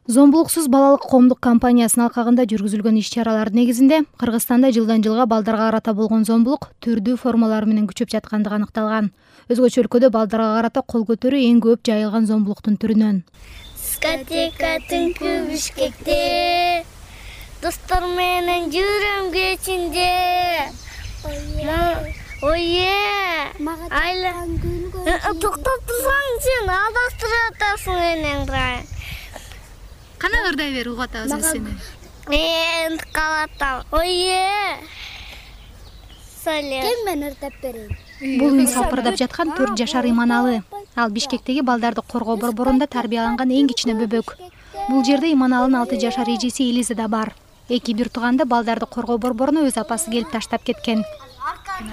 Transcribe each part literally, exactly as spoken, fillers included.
Зомбулуксуз балалык коомдук кампаниясынын алкагында жүргүзүлгөн иш-чаралар негизинде Кыргызстанда жылдан жылга балдарга карата болгон зомбулук түрдүү формалары менен күчөп жаткандыгы аныкталган. Өзгөчө өлкөдө балдарга карата кол көтөрүү эң көп жайылган зомбулуктун түрүнөн. Дискотека түнкү Бишкекте, достор менен жүрөм кечинде. Ое, айла. Токтоп турсаң сен адастырып атасың менен. Кана ырдай бер, угуп атабыз биз сени. Мен калатам. Ое. Сале. Кем мен ырдап берейин? Бул үн сапырдап жаткан төрт жашар Иманалы. Ал Бишкектеги балдарды коргоо борборунда тарбияланган эң кичине бөбөк. Бул жерде Иманалынын алты жашар эжеси Элиза да бар. Эки бир тууганды балдарды коргоо борборуна өз апасы келип таштап кеткен.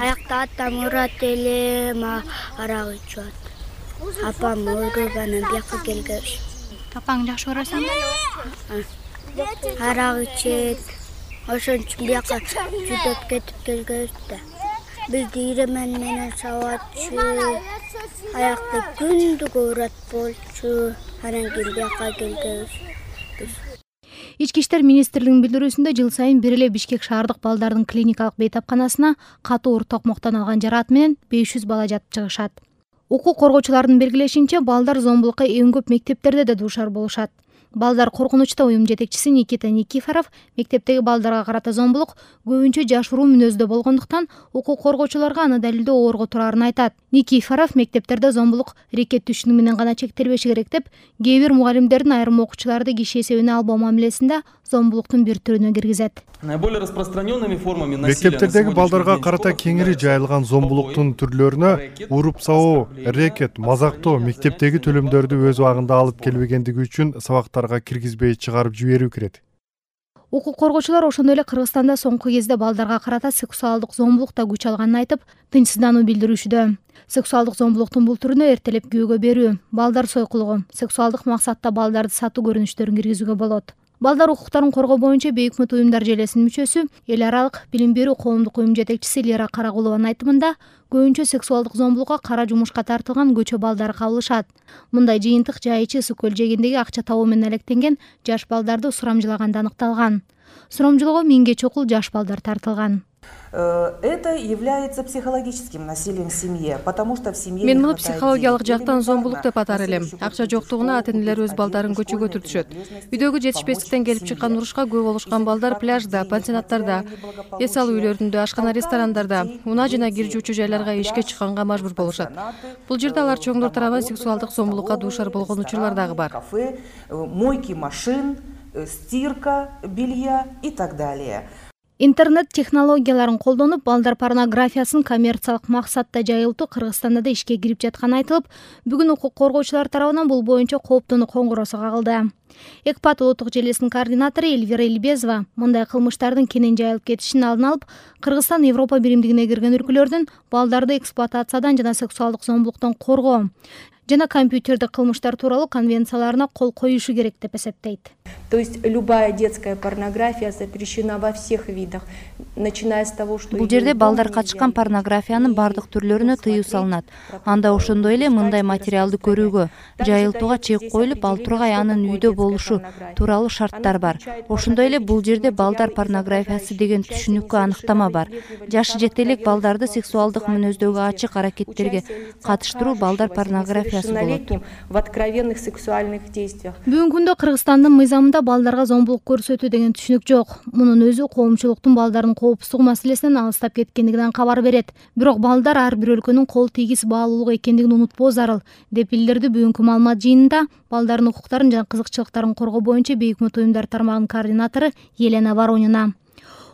Аякта атам урат эле, арак ичип атат. Апам өлүп анан бияка келгеш. Апаң жакшы көрөсүң? Арак ичет. Ошон үчүн бияка жүдөп кетип келгебиз да. Бизди иремен менен сабатчу. Аякты күндүгө урат болчу. Анан кийин бияка келгебиз. Ички иштер министрлигинин билдирүүсүндө жыл сайын бир эле Бишкек шаардык балдардын клиникалык бейтапканасына катуу оор токмоктон алган жараат менен беш жүз бала жатып чыгышат. Укук коргоочулардын белгилешинче, балдар зомбулукка эң көп мектептерде да дуушар болушат. Балдар коркунучта уюм жетекчиси Никита Никифоров мектептеги балдарга карата зомбулук көбүнчө жашыруу мүнөздө болгондуктан укук коргоочуларга аны далилдөө оорго турарын айтат. Никифоров мектептерде зомбулук рекет түшүнүгү менен гана чектелбеши керек деп, кээ бир мугалимдердин айрым окуучуларды киши эсебине албоо мамилесинде зомбулуктун бир түрүнө киргизет. Наиболее распространенными формами насилия мектептердеги балдарга карата кеңири жайылган зомбулуктун түрлөрүнө уруп сабоо, рекет, мазактоо, мектептеги төлөмдөрдү өз убагында алып келбегендиги үчүн сабактарга киргизбей чыгарып жиберүү кирет. Укук коргоочулар ошондой эле Кыргызстанда соңку кезде балдарга карата сексуалдык зомбулук да күч алганын айтып, тынчсыздануу билдирүүшүдө. Сексуалдык зомбулуктун бул түрүнө эртелеп күйөөгө берүү, балдар сойкулугу, сексуалдык максатта балдарды сатуу көрүнүштөрүн киргизүүгө болот. Балдар укуктарын коргоо боюнча Бейик Мут уюмдар желесинин мүчөсү, эл аралык билим берүү коомдук уюм жетекчиси Лера Карагулованын айтымында, көбүнчө сексуалдык зомбулукка кара жумушка тартылган көчө балдары кабылышат. Мындай жыйынтык жайычы ысык көл жээгиндеги акча табуу менен алектенген жаш балдарды сурамжылаганда аныкталган. Сурамжылоого миңге чокул жаш балдар тартылган. Это является психологическим насилием в семье, потому что в семье Мен муну психологиялык жактан зомбулук деп атар элем. Акча жоктугуна ата-энелер өз балдарын көчөгө түртүшөт. Үйдөгү жетишпестиктен келип чыккан урушка күбө болушкан балдар пляжда, пансионаттарда, эс алуу үйлөрүндө, ашкана, ресторандарда, унаа жана киржүүчү жайларга ишке чыкканга мажбур болушат. Бул жерде алар чоңдор тарабынан сексуалдык зомбулукка дуушар болгон учурлар дагы бар. Кафе, мойки машин, стирка белья и так далее. Интернет технологияларын колдонуп, балдар порнографиясын коммерциялык максатта жайылтуу Кыргызстанда да ишке кирип жатканы айтылып, бүгүн укук коргоочулар тарабынан бул боюнча кооптонуу коңгуроосу кагылды. Экпат улуттук желесинин координатору Эльвира Эльбезова мындай кылмыштардын кенен жайылып кетишин алдын алып, Кыргызстан Европа биримдигине кирген өлкөлөрдүн балдарды эксплуатациядан жана сексуалдык зомбулуктан коргоо жана компьютердик кылмыштар тууралуу конвенцияларына кол коюшу керек деп эсептейт. То есть любая детская порнография запрещена во всех видах, начиная с того, что бул жерде балдар катышкан порнографиянын бардык түрлөрүнө тыюу салынат. Анда ошондой эле мындай материалды көрүүгө, жайылтууга чек коюлуп, ал тургай анын үйдө болушу тууралуу шарттар бар. Ошондой эле бул жерде балдар порнографиясы деген түшүнүккө аныктама бар. Жашы жете элек балдарды сексуалдык мүнөздөгү ачык аракеттерге катыштыруу балдар порнографиясы болот. В откровенных сексуальных действиях. Бүгүнкү күндө Кыргызстандын мыйзамында балдарга зомбулук көрсөтүү деген түшүнүк жок. Мунун өзү коомчулуктун балдардын коопсуздугу маселесинен алыстап кеткендигинен кабар берет. Бирок балдар ар бир өлкөнүн кол тийгиз баалуулугу экендигин унутпоо зарыл, деп билдирди бүгүнкү маалымат жыйынында балдардын укуктарын жана кызыкчылыктарын коргоо боюнча Бейик Мут уюмдар тармагынын координатору Елена Воронина.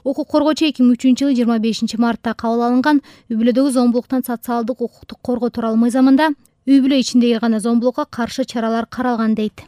Укук коргоочу эки миң үчүнчү жылы жыйырма бешинчи мартта кабыл алынган үй бүлөдөгү зомбулуктан социалдык укуктук коргоо тууралуу мыйзамында үй бүлө ичиндеги гана зомбулукка каршы чаралар каралган дейт.